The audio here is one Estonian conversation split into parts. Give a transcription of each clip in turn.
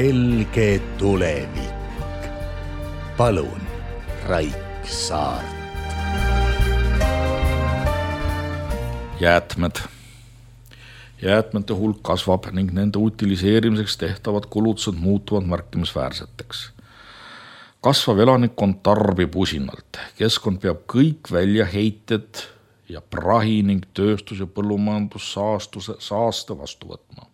helge tulevik. Palun, Raik Saart. Jäätmete hulk kasvab ning nende utiliseerimiseks tehtavad kulutused muutuvad märkimisväärseteks. Kasvav elanikkond tarbib usinalt. Keskkond peab kõik väljaheited ja prahi ning tööstus- ja põllumajandussaaste vastu võtma.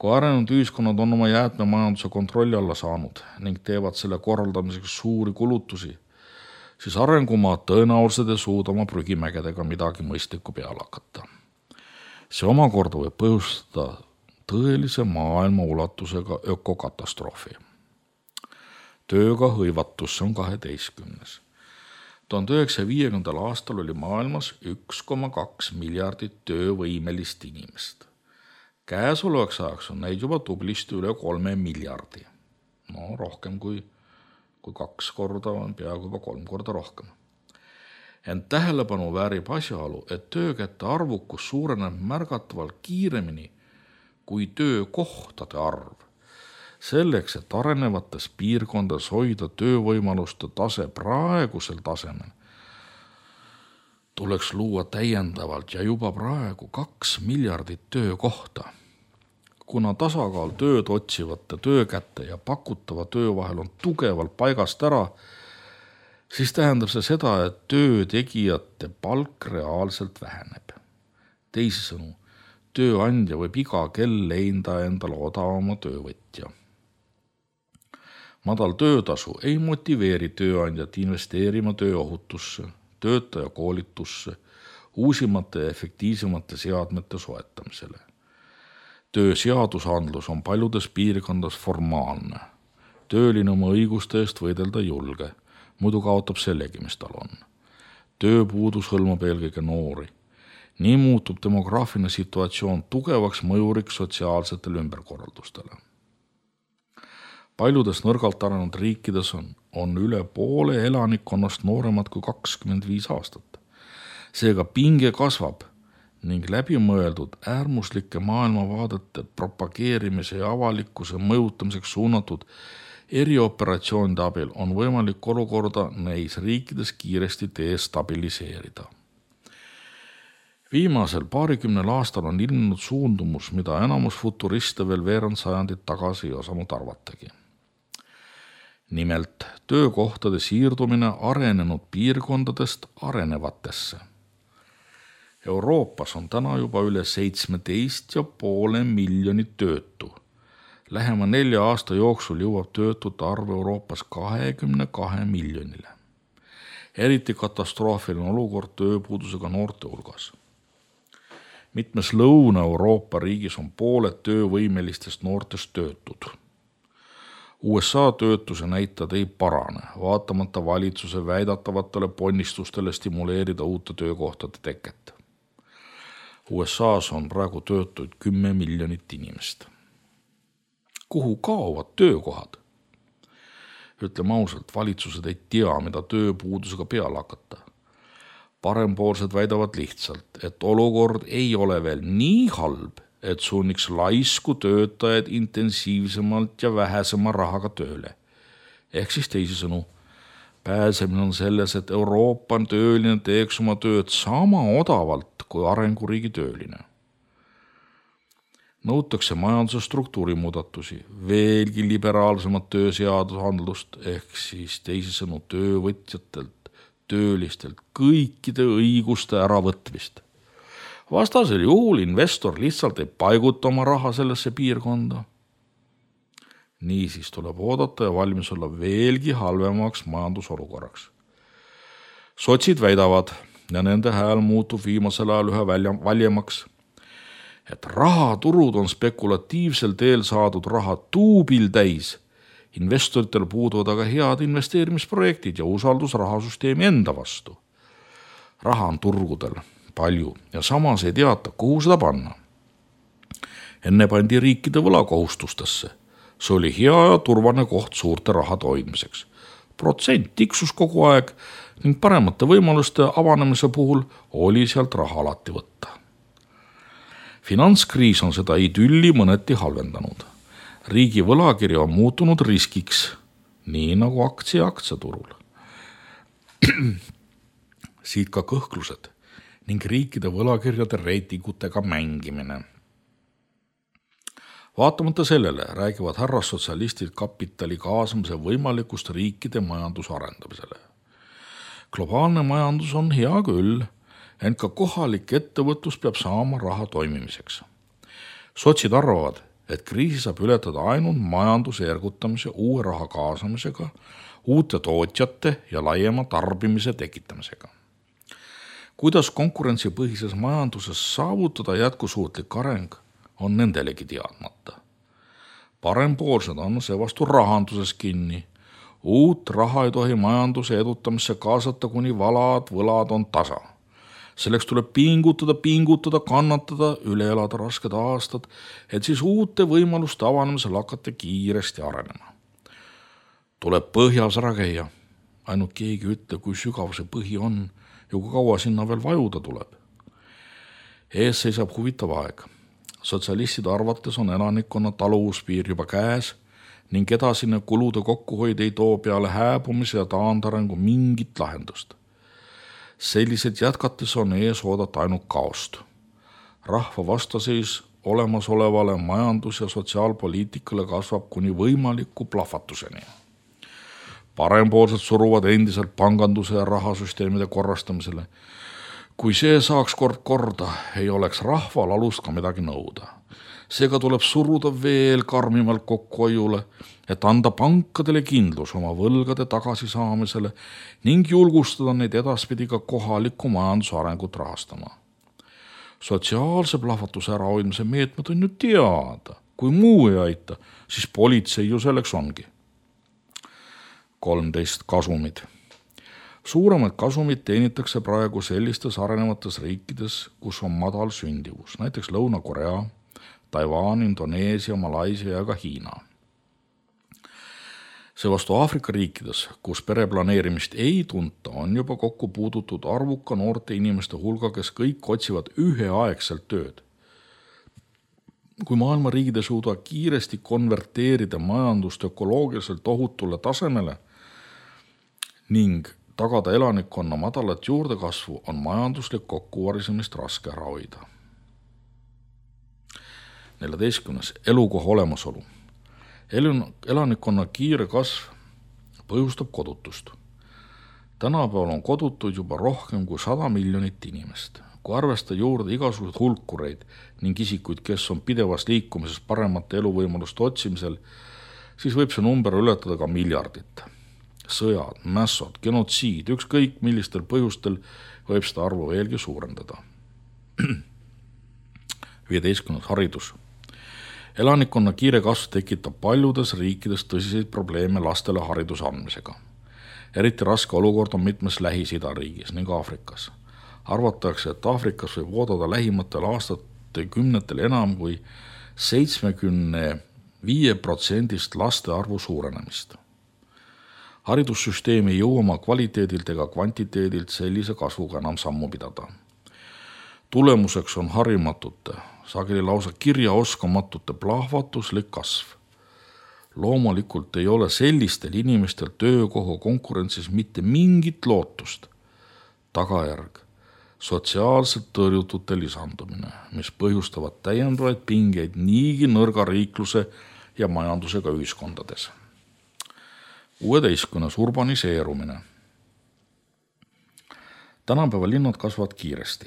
Kui arenenud ühiskonnad on oma jäätmemajanduse kontrolli alla saanud ning teevad selle korraldamiseks suuri kulutusi, siis arengumaad tõenäoliselt ei suuda oma prügimägedega midagi mõistlikku peale hakata. See omakorda võib põhjustada tõelise maailma ulatusega ökokatastroofi. Tööga hõivatus on 12. 1950. aastal oli maailmas 1,2 miljardit töövõimelist inimest. Käesolevaks ajaks on neid juba tublisti üle 3 miljardi. Rohkem kui 2 korda on peaaegu juba 3 korda rohkem. Ent tähelepanu väärib asjaolu, et töökäte arvukus suureneb märgatavalt kiiremini kui töökohtade arv. Selleks, et arenevates piirkondades hoida töövõimaluste tase praegusel tasemel, tuleks luua täiendavalt ja juba praegu 2 miljardit töökohta. Kuna tasakaal tööd otsivate töökäte ja pakutava töö vahel on tugevalt paigast ära, siis tähendab see seda, et töötegijate palk reaalselt väheneb. Teisisõnu, tööandja võib iga kell leida endale odavama töövõtja. Madal töötasu ei motiveeri tööandjat investeerima tööohutusse, töötaja koolitusse, uusimate ja efektiivsemate seadmete soetamisele. Tööseadusandlus on paljudes piirkondades formaalne. Tööline oma õiguste eest võidelda julge, muidu kaotab sellegi, mis tal on. Tööpuudus hõlmab eelkõige noori. Nii muutub demograafiline situatsioon tugevaks mõjuriks sotsiaalsetele ümberkorraldustele. Paljudes nõrgalt arenenud riikides on üle poole elanikkonnast nooremad kui 25 aastat. Seega pinge kasvab ning läbimõeldud äärmuslike maailmavaadete propageerimise ja avalikkuse mõjutamiseks suunatud erioperatsioonide abil on võimalik olukorda neis riikides kiiresti destabiliseerida. Viimasel paarikümnel aastal on ilmnenud suundumus, mida enamus futuriste veel veerand sajandit tagasi ei osanud arvatagi. Nimelt töökohtade siirdumine arenenud piirkondadest arenevatesse. Euroopas on täna juba üle 17,5 miljonit töötu. Lähema 4 aasta jooksul jõuab töötute arv Euroopas 22 miljonile. Eriti katastroofiline olukord tööpuudusega noorte hulgas. Mitmes Lõuna-Euroopa riigis on pooled töövõimelistest noortest töötud. USA töötuse näitajad ei parane, vaatamata valitsuse väidatavatele ponnistustele stimuleerida uute töökohtade teket. USAs on praegu töötuid 10 miljonit inimest. Kuhu kaovad töökohad? Ütleme ausalt, valitsused ei tea, mida tööpuudusega peale hakata. Parempoolsed väidavad lihtsalt, et olukord ei ole veel nii halb, et sunniks laisku töötajaid intensiivsemalt ja vähesema rahaga tööle. Ehk siis teisisõnu, pääsemine on selles, et Euroopa tööline teeks oma tööd sama odavalt kui arenguriigi tööline. Nõutakse majanduse struktuurimuudatusi, veelgi liberaalsemat tööseadusandlust ehk siis teisisõnu töövõtjatelt, töölistelt kõikide õiguste äravõtmist. Vastasel juhul investor lihtsalt ei paiguta oma raha sellesse piirkonda. Niisiis tuleb oodata ja valmis olla veelgi halvemaks majandusolukorraks. Sotsid väidavad, ja nende hääl muutub viimasel ajal ühe valjemaks, et rahaturud on spekulatiivsel teel saadud raha tuubil täis. Investoritel puuduvad aga head investeerimisprojektid ja usaldus rahasüsteemi enda vastu. Raha on turgudel palju ja samas ei teata, kuhu seda panna. Enne pandi riikide võlakohustustesse. See oli hea ja turvane koht suurte rahade hoidmiseks. Protsent tiksus kogu aeg ning paremate võimaluste avanemise puhul oli sealt raha alati võtta. Finantskriis on seda idülli mõneti halvendanud. Riigi võlakiri on muutunud riskiks, nii nagu aktsiaturul. Siit ka kõhklused ning riikide võlakirjade reitingutega mängimine. Vaatamata sellele räägivad härrassotsialistid kapitali kaasamise võimalikust riikide majanduse arendamisele. Globaalne majandus on hea küll, ent ka kohalik ettevõtlus peab saama raha toimimiseks. Sotsid arvavad, et kriisi saab ületada ainult majanduse ergutamise uue raha kaasamisega, uute tootjate ja laiema tarbimise tekitamisega. Kuidas konkurentsipõhises majanduses saavutada jätkusuutlik areng, on nendelegi teadmata. Parempoolsed on seevastu rahanduses kinni. Uut raha ei tohi majanduse edutamisse kaasata, kuni võlad on tasa. Selleks tuleb pingutada, kannatada, üle elada rasked aastad, et siis uute võimaluste avanemisel hakata kiiresti arenema. Tuleb põhjas ära käia. Ainult keegi ütle, kui sügav see põhi on ja kui kaua sinna veel vajuda tuleb. Ees seisab huvitav aeg. Sotsialistide arvates on elanikkonna taluvuspiir juba käes ning edasine kulude kokkuhoid ei too peale hääbumise ja taandarengu mingit lahendust. Sellised jätkates on ees oodata ainult kaost. Rahva vastaseis olemasolevale majandus- ja sotsiaalpoliitikale kasvab kuni võimaliku plahvatuseni. Parempoolsed suruvad endiselt panganduse ja rahasüsteemide korrastamisele. Kui see saaks korda, ei oleks rahval alust ka midagi nõuda. Seega tuleb suruda veel karmimalt kokkuhoiule, et anda pankadele kindlus oma võlgade tagasisaamisele ning julgustada neid edaspidi ka kohaliku majanduse arengut rahastama. Sotsiaalse plahvatuse ärahoidmise meetmed on ju teada. Kui muu ei aita, siis politsei ju selleks ongi. 13 kasumid. Suuremad kasumid teenitakse praegu sellistes arenevates riikides, kus on madal sündivus, näiteks Lõuna-Korea, Taiwan, Indoneesia, Malaisia ja ka Hiina. Seevastu Aafrika riikides, kus pereplaneerimist ei tunta, on juba kokku puudutud arvuka noorte inimeste hulga, kes kõik otsivad üheaegselt tööd. Kui maailma riigid ei suuda kiiresti konverteerida majandust ökoloogiliselt ohutule tasemele ning tagada elanikkonna madalat juurdekasvu, on majanduslik kokkuvarisemist raske ära hoida. 14. Elukoha olemasolu. Elanikkonna kiire kasv põhjustab kodutust. Tänapäeval on kodutuid juba rohkem kui 100 miljonit inimest. Kui arvesta juurde igasugused hulkureid ning isikuid, kes on pidevas liikumises paremate eluvõimaluste otsimisel, siis võib see number ületada ka miljardit. Sõjad, mässod, genotsiid, ükskõik millistel põhjustel võib seda arvu veelgi suurendada. 15. Haridus. Elanikkonna kiire kasv tekitab paljudes riikides tõsiseid probleeme lastele hariduse andmisega. Eriti raske olukord on mitmes Lähis-Ida riigis ning Aafrikas. Arvatakse, et Aafrikas võib oodata lähimatel aastate kümnetel enam kui 75% laste arvu suurenemist. Haridussüsteem ei jõua oma kvaliteedilt ega kvantiteedilt sellise kasvuga enam sammu pidada. Tulemuseks on harimatute, sageli lausa kirjaoskamatute plahvatuslik kasv. Loomulikult ei ole sellistel inimestel töökoha konkurentsis mitte mingit lootust. Tagajärg, sotsiaalselt tõrjutute lisandumine, mis põhjustavad täiendavaid pingeid niigi nõrga riikluse ja majandusega ühiskondades. 16. Urbaniseerumine. Tänapäeva linnad kasvavad kiiresti.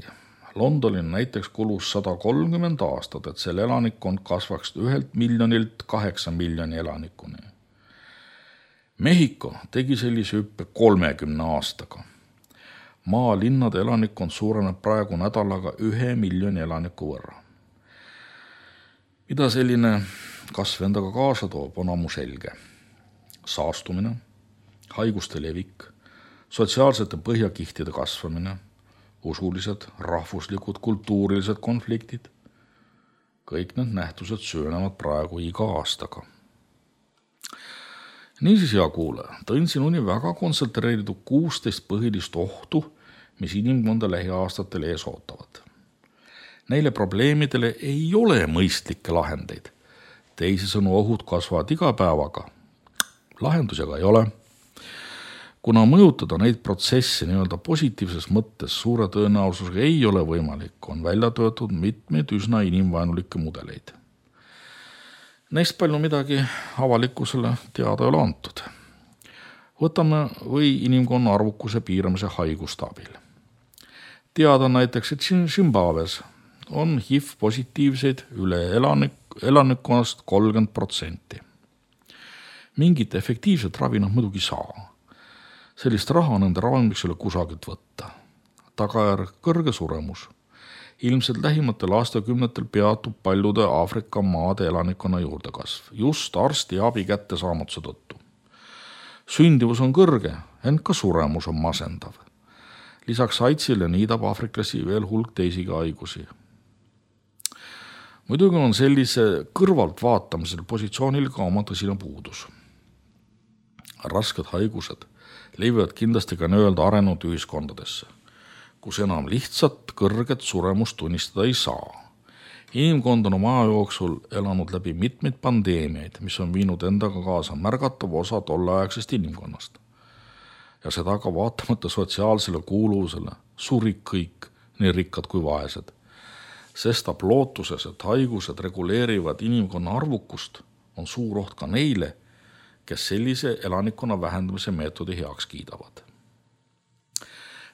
Londonil näiteks kulus 130 aastat, et selle elanikkond kasvaks 1 miljonilt 8 miljoni elanikuni. Mehhiko tegi sellise hüppe 30 aastaga. Maalinnade elanikkond suureneb praegu nädalaga 1 miljoni elaniku võrra. Mida selline kasv endaga kaasa toob, on ammu selge. Saastumine, haiguste levik, sotsiaalsete põhjakihtide kasvamine, usulised, rahvuslikud, kultuurilised konfliktid. Kõik need nähtused süvenevad praegu iga aastaga. Niisiis, hea kuulaja, tõin sinuni väga kontsentreeritud 16 põhilist ohtu, mis inimkonda lähiaastatel ees ootavad. Neile probleemidele ei ole mõistlikke lahendeid. Teisisõnu ohud kasvavad iga päevaga. Lahendusi aga ei ole. Kuna mõjutada neid protsesse nii-öelda positiivses mõttes suure tõenäosusega ei ole võimalik, on välja töötud mitmeid üsna inimvaenulikke mudeleid. Neist palju midagi avalikkusele teada ei ole antud. Võtame või inimkonna arvukuse piiramise haiguste abil. Teada näiteks, et Zimbabwes on HIV-positiivseid üle elanikkonnast 30%. Mingit efektiivset ravi nad muidugi saa. Sellist raha nende ravimiks ei ole kusagilt võtta. Tagajärg kõrge suremus. Ilmselt lähimatel aastakümnetel peatub paljude Aafrika maade elanikkonna juurdekasv, just arsti abi kättesaamatuse tõttu. Sündivus on kõrge, ent ka suremus on masendav. Lisaks AIDSile niidab aafriklasi veel hulk teisigi haigusi. Muidugi on sellise kõrvalt vaatamisel positsioonil ka oma tõsine puudus. Rasked haigused levivad kindlasti ka nii-öelda arenenud ühiskondadesse, kus enam lihtsalt kõrget suremust tunnistada ei saa. Inimkond on oma aja jooksul elanud läbi mitmeid pandeemiaid, mis on viinud endaga kaasa märgatav osa tolleaegsest inimkonnast. Ja seda ka vaatamata sotsiaalsele kuuluvusele surid kõik, nii rikkad kui vaesed. Sestap lootuses, et haigused reguleerivad inimkonna arvukust, on suur oht ka neile, kes sellise elanikkonna vähendamise meetodi heaks kiidavad.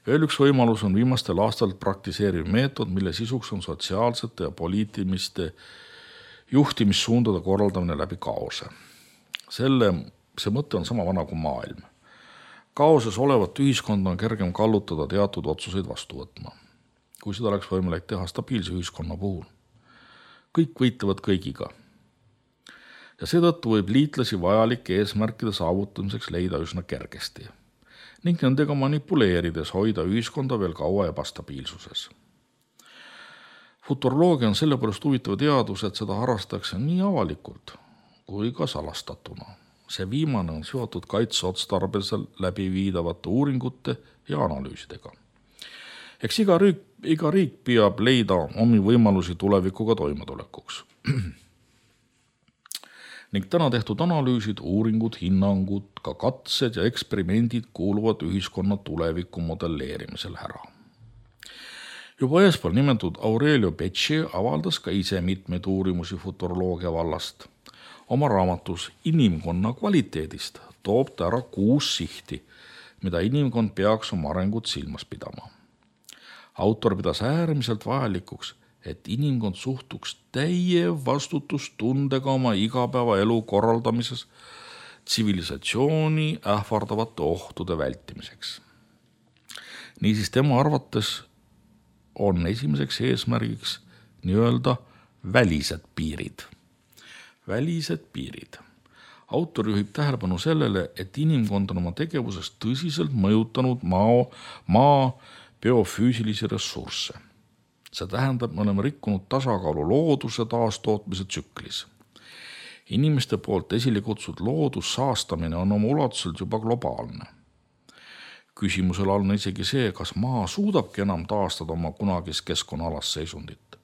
Veel üks võimalus on viimastel aastal praktiseeriv meetod, mille sisuks on sotsiaalsete ja poliitiliste juhtimissuundade korraldamine läbi kaose. See mõte on sama vana kui maailm. Kaoses olevat ühiskond on kergem kallutada teatud otsuseid vastu võtma, kui seda oleks võimalik teha stabiilse ühiskonna puhul. Kõik võitlevad kõigiga. Ja seetõttu võib liitlasi vajalike eesmärkide saavutamiseks leida üsna kergesti ning nendega manipuleerides hoida ühiskonda veel kaua ebastabiilsuses. Futuroloogia on sellepärast huvitav teadus, et seda harrastatakse nii avalikult kui ka salastatuna. See viimane on seotud kaitseotstarbel läbi viidavate uuringute ja analüüsidega. Eks iga riik peab leida omi võimalusi tulevikuga toimetulekuks. Ning täna tehtud analüüsid, uuringud, hinnangud, ka katsed ja eksperimendid kuuluvad ühiskonna tuleviku modelleerimisel ära. Juba eespool nimetatud Aurelio Becci avaldas ka ise mitmeid uurimusi futuroloogia vallast. Oma raamatus Inimkonna kvaliteedist toob ta ära 6 sihti, mida inimkond peaks oma arengut silmas pidama. Autor pidas äärmiselt vajalikuks, et inimkond suhtuks täie vastutustundega oma igapäevaelu korraldamises tsivilisatsiooni ähvardavate ohtude vältimiseks. Niisiis tema arvates on esimeseks eesmärgiks nii-öelda välised piirid. Välised piirid. Autor juhib tähelepanu sellele, et inimkond on oma tegevuses tõsiselt mõjutanud maa biofüüsilisi ressursse. See tähendab, me oleme rikkunud tasakaalu looduse taastootmise tsüklis. Inimeste poolt esile kutsud loodussaastamine on oma ulatuselt juba globaalne. Küsimusel on isegi see, kas maa suudabki enam taastada oma kunagist keskkonnaalast seisundit.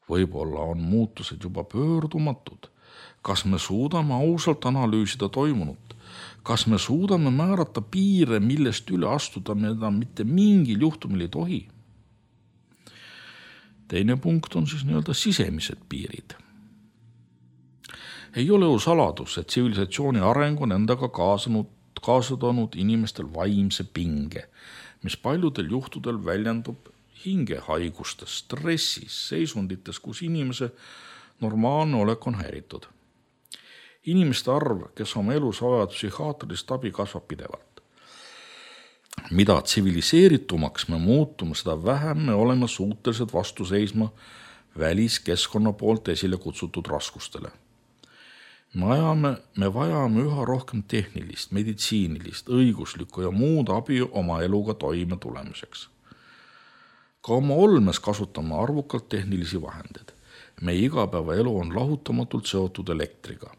Võib-olla on muutused juba pöördumatud. Kas me suudame ausalt analüüsida toimunut? Kas me suudame määrata piire, millest üle astuda mida mitte mingil juhtumil ei tohi? Teine punkt on siis nii-öelda sisemised piirid. Ei ole ju saladus, et tsivilisatsiooni areng on endaga kaasa toonud inimestel vaimse pinge, mis paljudel juhtudel väljendub hingehaigustes, stressis, seisundites, kus inimese normaalne olek on häiritud. Inimeste arv, kes oma elus vajavad psühhiaatrilist abi, kasvab pidevalt. Mida tsiviliseeritumaks me muutume, seda vähem me oleme suutelised vastu seisma väliskeskkonna poolt esile kutsutud raskustele. Me vajame üha rohkem tehnilist, meditsiinilist, õiguslikku ja muud abi oma eluga toime tulemiseks. Ka oma olmes kasutame arvukalt tehnilisi vahendeid. Meie igapäevaelu on lahutamatult seotud elektriga.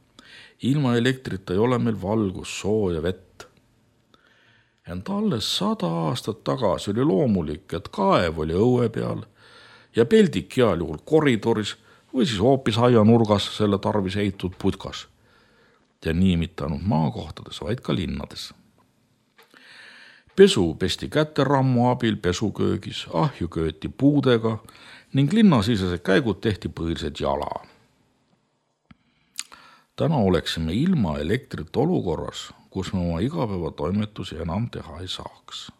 Ilma elektrita ei ole meil valgus, soo ja vett. Ent alles 100 aastat tagasi oli loomulik, et kaev oli õue peal ja peldik heal juhul koridoris või siis hoopis aianurgas selle tarvis ehitatud putkas. Ja nii mitte ainult maakohtades, vaid ka linnades. Pesu pesti käterammu abil pesuköögis, ahju kööti puudega ning linnasisesed käigud tehti põhiliselt jala. Täna oleksime ilma elektrit olukorras, kus me oma igapäevatoimetusi enam teha ei saaks.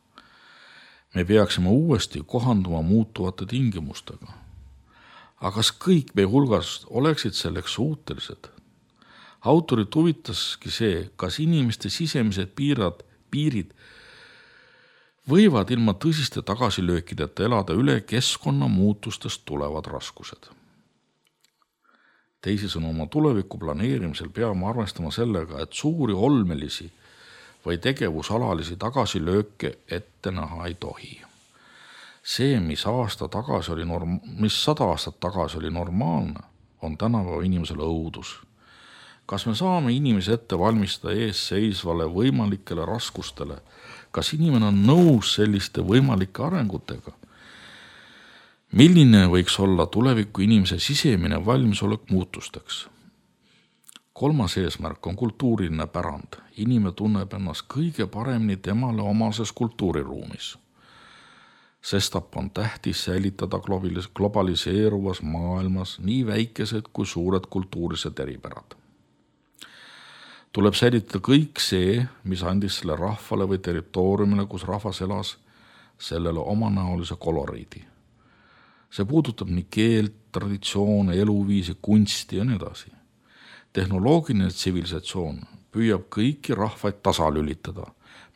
Me peaksime uuesti kohanduma muutuvate tingimustega. Aga kas kõik meie hulgast oleksid selleks suutelised? Autorit huvitaski see, kas inimeste sisemised piirid võivad ilma tõsiste tagasilöökideta elada üle keskkonnamuutustest tulevad raskused. Teisisõnu, oma tuleviku planeerimisel peame arvestama sellega, et suuri olmelisi või tegevusalalisi tagasilööke ette näha ei tohi. See, mis 100 aastat tagasi oli normaalne, on tänapäeva inimesele õudus. Kas me saame inimese ette valmistada ees seisvale võimalikele raskustele? Kas inimene on nõus selliste võimalike arengutega? Milline võiks olla tuleviku inimese sisemine valmisolek muutusteks? 3. eesmärk on kultuuriline pärand. Inimene tunneb ennast kõige paremini temale omases kultuuriruumis. Sestap on tähtis säilitada globaliseeruvas maailmas nii väikesed kui suured kultuurised eripärad. Tuleb säilitada kõik see, mis andis selle rahvale või territooriumile, kus rahvas elas, sellele omanäolise koloriidi. See puudutab nii keelt, traditsioone, eluviisi, kunsti ja nii edasi. Tehnoloogiline tsivilisatsioon püüab kõiki rahvaid tasalülitada.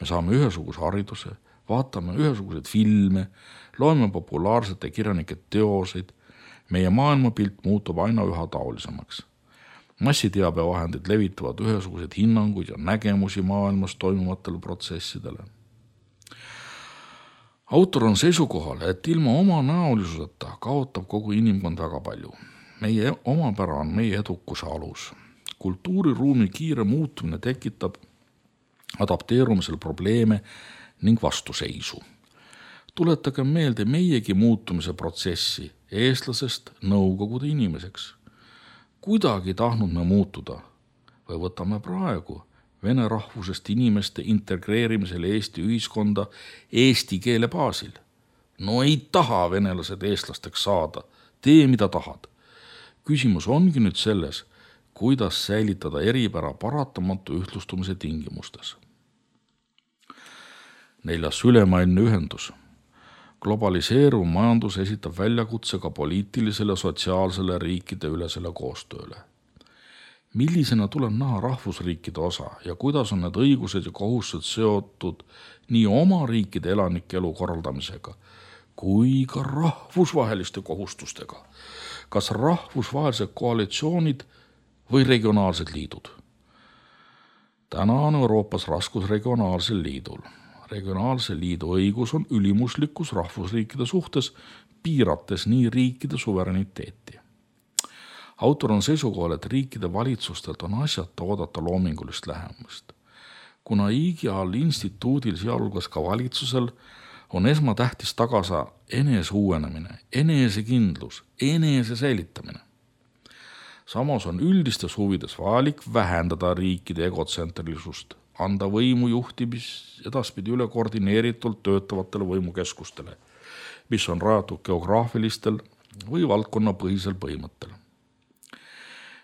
Me saame ühesuguse hariduse, vaatame ühesuguseid filme, loeme populaarsete kirjanike teoseid, meie maailmapilt muutub aina üha taolisemaks. Massiteabevahendid levitavad ühesuguseid hinnanguid ja nägemusi maailmas toimuvatele protsessidele. Autor on seisukohal, et ilma oma näolisuseta kaotab kogu inimkond väga palju. Meie omapära on meie edukuse alus. Kultuuriruumi kiire muutumine tekitab adapteerumisel probleeme ning vastuseisu. Tuletage meelde meiegi muutumise protsessi eestlasest Nõukogude inimeseks. Kuidagi tahtnud me muutuda või võtame praegu vene rahvusest inimeste integreerimisel Eesti ühiskonda eesti keele baasil. No ei taha venelased eestlasteks saada, tee mida tahad. Küsimus ongi nüüd selles, kuidas säilitada eripära paratamatu ühtlustumise tingimustes. 4. ülemaailmne ühendus. Globaliseeruv majandus esitab väljakutse ka poliitilisele, sotsiaalsele riikide ülesele koostööle. Millisena tuleb näha rahvusriikide osa ja kuidas on need õigused ja kohustused seotud nii oma riikide elanike elu korraldamisega kui ka rahvusvaheliste kohustustega? Kas rahvusvahelised koalitsioonid või regionaalsed liidud? Täna on Euroopas raskus regionaalsel liidul. Regionaalse liidu õigus on ülimuslikkus rahvusriikide suhtes, piirates nii riikide suvereniteeti. Autor on seisukohal, et riikide valitsustelt on asjata oodata loomingulist lähemust. Kuna igal instituudil, sealhulgas ka valitsusel, on esmatähtis tagasa enese uuenemine, enesekindlus, enese säilitamine. Samas on üldistes huvides vajalik vähendada riikide egotsentrilisust, anda võimu juhtimis edaspidi üle koordineeritult töötavatele võimukeskustele, mis on rajatud geograafilistel või valdkonnapõhisel põhimõttel.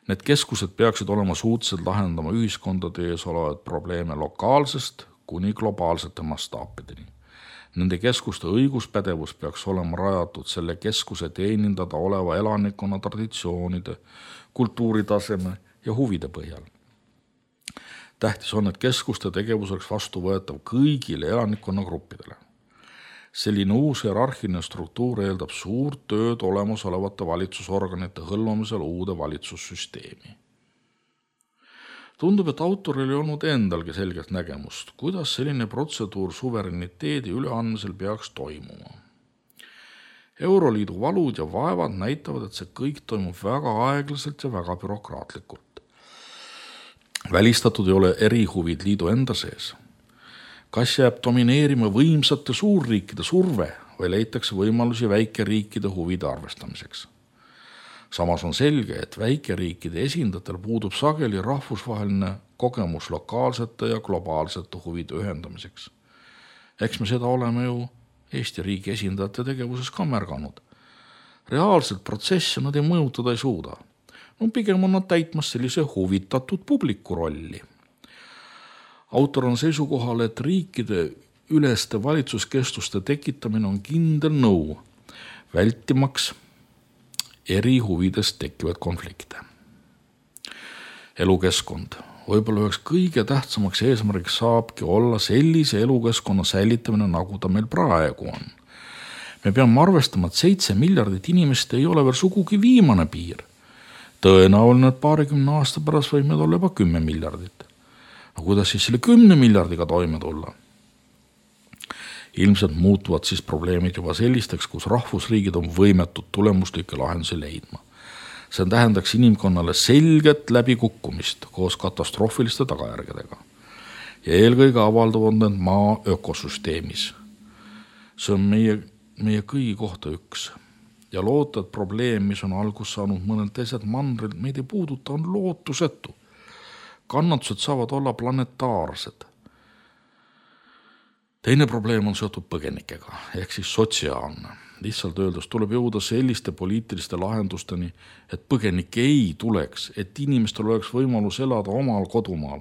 Need keskused peaksid olema suutsed lahendama ühiskondade ees olevaid probleeme lokaalsest kuni globaalsete mastaapideni. Nende keskuste õiguspädevus peaks olema rajatud selle keskuse teenindada oleva elanikkonna traditsioonide, kultuuritaseme ja huvide põhjal. Tähtis on, et keskuste tegevus oleks vastuvõetav kõigile elanikkonnagruppidele. Selline uus hierarhiline struktuur eeldab suurt tööd olemasolevate valitsusorganite hõlmamisel uude valitsussüsteemi. Tundub, et autoril ei olnud endalgi selgelt nägemust, kuidas selline protseduur suvereniteedi üleandmisel peaks toimuma. Euroliidu valud ja vaevad näitavad, et see kõik toimub väga aeglaselt ja väga bürokraatlikult. Välistatud ei ole erihuvid liidu enda sees. Kas jääb domineerima võimsate suurriikide surve või leitakse võimalusi väikeriikide huvide arvestamiseks? Samas on selge, et väikeriikide esindajatel puudub sageli rahvusvaheline kogemus lokaalsete ja globaalsete huvide ühendamiseks. Eks me seda oleme ju Eesti riigi esindajate tegevuses ka märganud. Reaalselt protsesse nad ei mõjutada ei suuda. Pigem on nad täitmas sellise huvitatud publiku rolli. Autor on seisukohal, et riikide üleste valitsuskeskuste tekitamine on kindel nõu, vältimaks eri huvides tekkivaid konflikte. Elukeskkond. Võib-olla üheks kõige tähtsamaks eesmärgiks saabki olla sellise elukeskkonna säilitamine, nagu ta meil praegu on. Me peame arvestama, et 7 miljardit inimest ei ole veel sugugi viimane piir. Tõenäoline, et 20 aasta pärast võib meid olla juba 10 miljardit. Aga kuidas siis selle 10 miljardiga toime tulla? Ilmselt muutuvad siis probleemid juba sellisteks, kus rahvusriigid on võimetud tulemuslikke lahendusi leidma. See tähendaks inimkonnale selget läbikukkumist koos katastroofiliste tagajärgedega. Ja eelkõige avalduvad need maa ökosüsteemis. See on meie kõigi kohta üks. Ja loota, et probleem, mis on algus saanud mõnel teised mandril, meid ei puuduta, on lootusetu. Kannatused saavad olla planetaarsed. Teine probleem on seotud põgenikega, ehk siis sotsiaalne. Lihtsalt öeldes tuleb jõuda selliste poliitiliste lahendusteni, et põgenikke ei tuleks, et inimestel oleks võimalus elada omal kodumaal.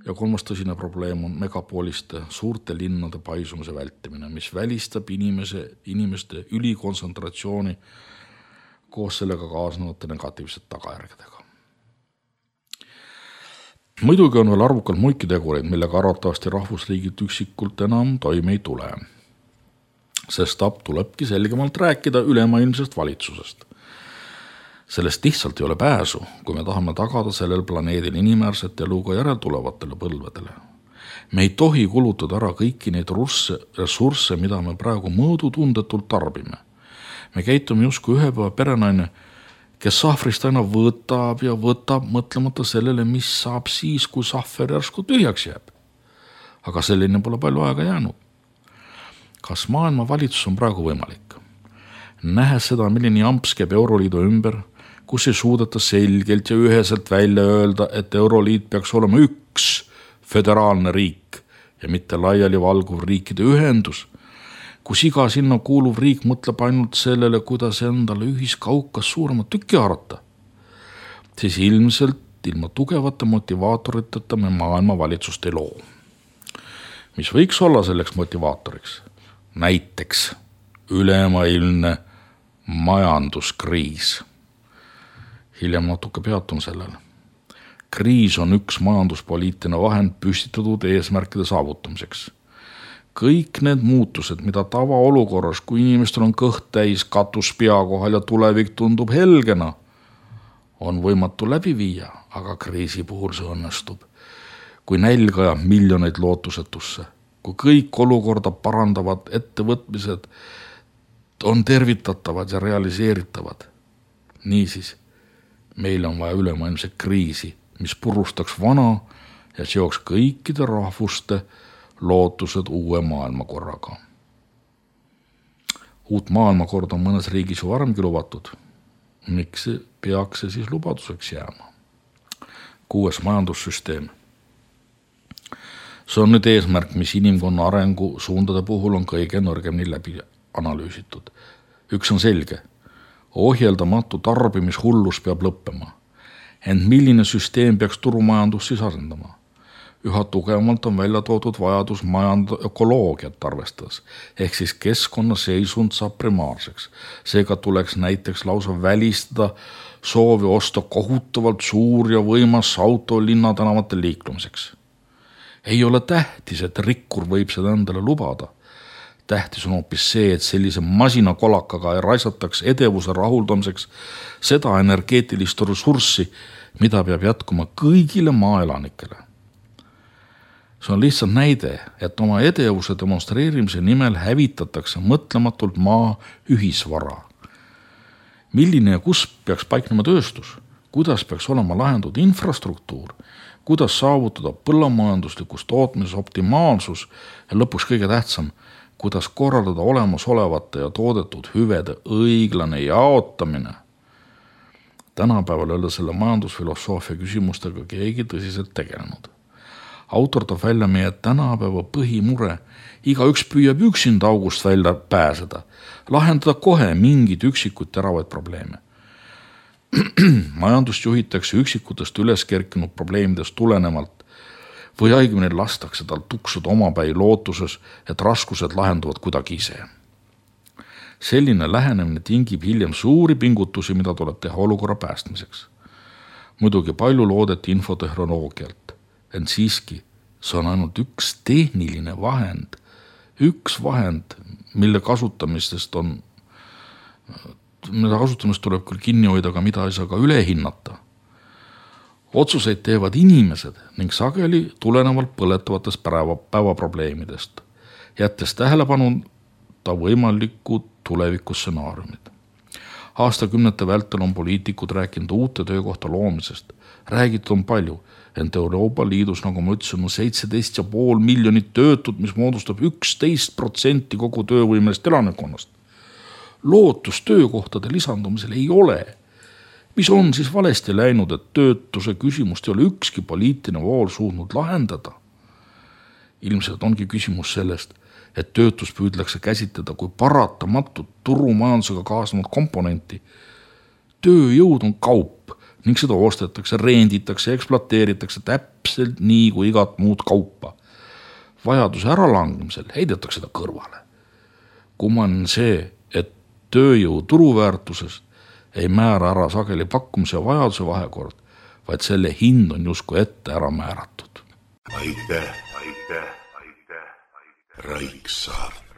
Ja kolmas tõsine probleem on megapoliste suurte linnade paisumise vältimine, mis välistab inimeste ülikontsentratsiooni koos sellega kaasnevate negatiivsete tagajärgedega. Muidugi on veel arvukalt muidki tegureid, millega arvatavasti rahvusriigid üksikult enam toime ei tule. Sest tulebki selgemalt rääkida ülemaailmsest valitsusest. Sellest lihtsalt ei ole pääsu, kui me tahame tagada sellel planeedil inimväärset elu ka järeltulevatele põlvedele. Me ei tohi kulutada ära kõiki neid ressursse, mida me praegu mõõdutundetult tarbime. Me käitume justkui ühepäeva perenaine, kes sahvrist aina võtab ja võtab, mõtlemata sellele, mis saab siis, kui sahver järsku tühjaks jääb. Aga selline pole palju aega jäänud. Kas maailma valitsus on praegu võimalik? Nähes seda, milline jamps käib Euroliidu ümber, kus ei suudeta selgelt ja üheselt välja öelda, et Euroliit peaks olema üks föderaalne riik ja mitte laiali valguv riikide ühendus, kus iga sinna kuuluv riik mõtleb ainult sellele, kuidas endale ühiskaukas suuremat tükki haarata, siis ilmselt ilma tugevate motivaatoriteta me maailma valitsust ei loo. Mis võiks olla selleks motivaatoriks? Näiteks ülemaailmne majanduskriis. Hiljem natuke peatun sellele. Kriis on üks majanduspoliitiline vahend püstitatud eesmärkide saavutamiseks. Kõik need muutused, mida tavaolukorras, kui inimestel on kõht täis, katus pea kohal ja tulevik tundub helgena, on võimatu läbi viia, aga kriisi puhul see õnnestub. Kui nälg ajab miljoneid lootusetusse, kui kõik olukorda parandavad ettevõtmised on tervitatavad ja realiseeritavad. Niisiis, meil on vaja ülemaailmset kriisi, mis purustaks vana ja seoks kõikide rahvuste lootused uue maailmakorraga. Uut maailmakorda on mõnes riigis ju varemgi lubatud. Miks peaks see siis lubaduseks jääma? 6. majandussüsteem. See on nüüd eesmärk, mis inimkonna arengu suundade puhul on kõige nõrgemini läbi analüüsitud. Üks on selge. Ohjeldamatu tarbimishullus peab lõppema. Ent milline süsteem peaks turumajandus siis asendama? Üha tugevamalt on välja toodud vajadus ökoloogiat arvestades, ehk siis keskkonna seisund saab primaarseks. Seega tuleks näiteks lausa välistada soovi osta kohutavalt suur ja võimas auto linnatänavatel liiklumiseks. Ei ole tähtis, et rikkur võib seda endale lubada. Tähtis on hoopis see, et sellise masinakolakaga ei raisataks edevuse rahuldamiseks seda energeetilist ressurssi, mida peab jätkuma kõigile maaelanikele. See on lihtsalt näide, et oma edevuse demonstreerimise nimel hävitatakse mõtlematult maa ühisvara. Milline ja kus peaks paiknema tööstus? Kuidas peaks olema lahendud infrastruktuur? Kuidas saavutada põllumajanduslikus tootmises optimaalsus ja lõpuks kõige tähtsam, kuidas korraldada olemasolevate ja toodetud hüvede õiglane jaotamine, Tänapäeval ei ole selle majandusfilosoofia küsimustega keegi tõsiselt tegelenud. Autor toob välja meie tänapäeva põhimure. Igaüks püüab üksinda august välja pääseda, lahendada kohe mingid üksikud teravaid probleeme. Majandust juhitakse üksikutest üles kerkinud probleemidest tulenevalt või õigemini lastakse tal tuksuda omapäi lootuses, et raskused lahenduvad kuidagi ise. Selline lähenemine tingib hiljem suuri pingutusi, mida tuleb teha olukorra päästmiseks. Muidugi palju loodeti infotehnoloogialt, ent siiski see on ainult üks tehniline vahend, mille kasutamist tuleb küll kinni hoida, aga mida ei saa ka üle hinnata. Otsuseid teevad inimesed ning sageli tulenevalt põletavatest päevaprobleemidest, jättes tähelepanuta võimalikud tulevikustsenaariumid. Aastakümnete vältel on poliitikud rääkinud uute töökohta loomisest. Räägitud on palju, ent Euroopa Liidus, nagu ma ütlesin, on 17,5 miljonit töötut, mis moodustab 11% kogu töövõimelist elanikkonnast. Lootus töökohtade lisandumisel ei ole. Mis on siis valesti läinud, et töötuse küsimust ei ole ükski poliitiline vool suutnud lahendada? Ilmselt ongi küsimus sellest, et töötus püüdlakse käsitleda kui paratamatut turumajandusega kaasnevat komponenti. Tööjõud on kaup ning seda ostetakse, renditakse, ekspluateeritakse täpselt nii kui igat muud kaupa. Vajaduse äralangemisel heidetakse seda kõrvale. Kumman see, et tööjõu turuväärtusest ei määra ära sageli pakkumise ja vajaduse vahekord, vaid selle hind on justkui ette ära määratud. Aitäh, Raiksaart.